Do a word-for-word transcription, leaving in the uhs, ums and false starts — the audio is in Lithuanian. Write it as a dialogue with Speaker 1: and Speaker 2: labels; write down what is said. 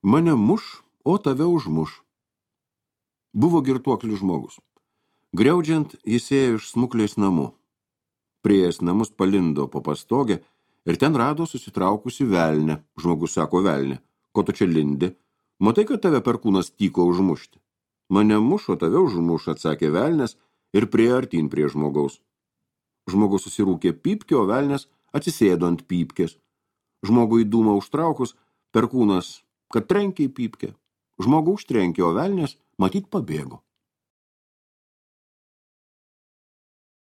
Speaker 1: Mane muš, o tave užmuš. Buvo girtuoklis žmogus. Griaudžiant, jis ėjo iš smuklės namų. Prieėjęs namus palindo po pastogę ir ten rado susitraukusi velnę. Žmogus sako: velnė, ko tu čia lindi? Matai, kad tave perkūnas tyko užmušti. Mane mušo, tave užmuš, atsakė velnės ir priėjo artyn prie žmogaus. Žmogus susirūkė pypkę, o velnės atsisėdo ant pypkės. Žmogui dūmą užtraukus, perkūnas, kad trenkė į pypkę. Žmogų užtrenkė, o velnės matyt pabėgo.